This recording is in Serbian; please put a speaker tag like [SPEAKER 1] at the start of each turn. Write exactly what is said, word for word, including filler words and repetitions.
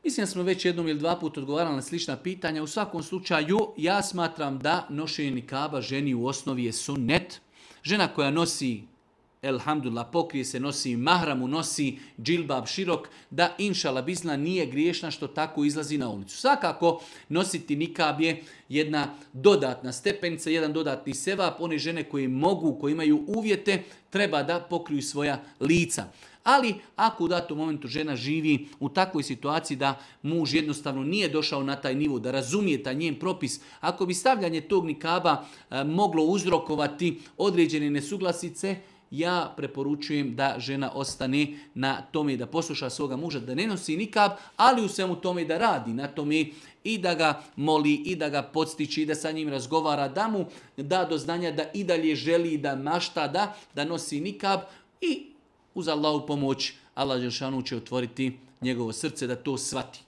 [SPEAKER 1] Mislim da smo već jednom ili dva puta odgovarali na slična pitanja. U svakom slučaju, ja smatram da nošenje nikaba ženi u osnovi je sunnet. Žena koja nosi, elhamdulillah, pokrije se, nosi mahramu, nosi džilbab širok, da inšala bizna nije griješna što tako izlazi na ulicu. Svakako, nositi nikab je jedna dodatna stepenica, jedan dodatni sevap. One žene koje mogu, koje imaju uvjete, treba da pokriju svoja lica. Ali ako u datom momentu žena živi u takvoj situaciji da muž jednostavno nije došao na taj nivo, da razumije taj njen propis, ako bi stavljanje tog nikaba e, moglo uzrokovati određene nesuglasice, ja preporučujem da žena ostane na tome da posluša svoga muža, da ne nosi nikab, ali u svemu tome da radi na tome i da ga moli, i da ga podstiči, i da sa njim razgovara, da mu da do znanja da i dalje želi, da mašta, da, da nosi nikab i uz Allahu pomoć Allah dželešanu će otvoriti njegovo srce da to shvati.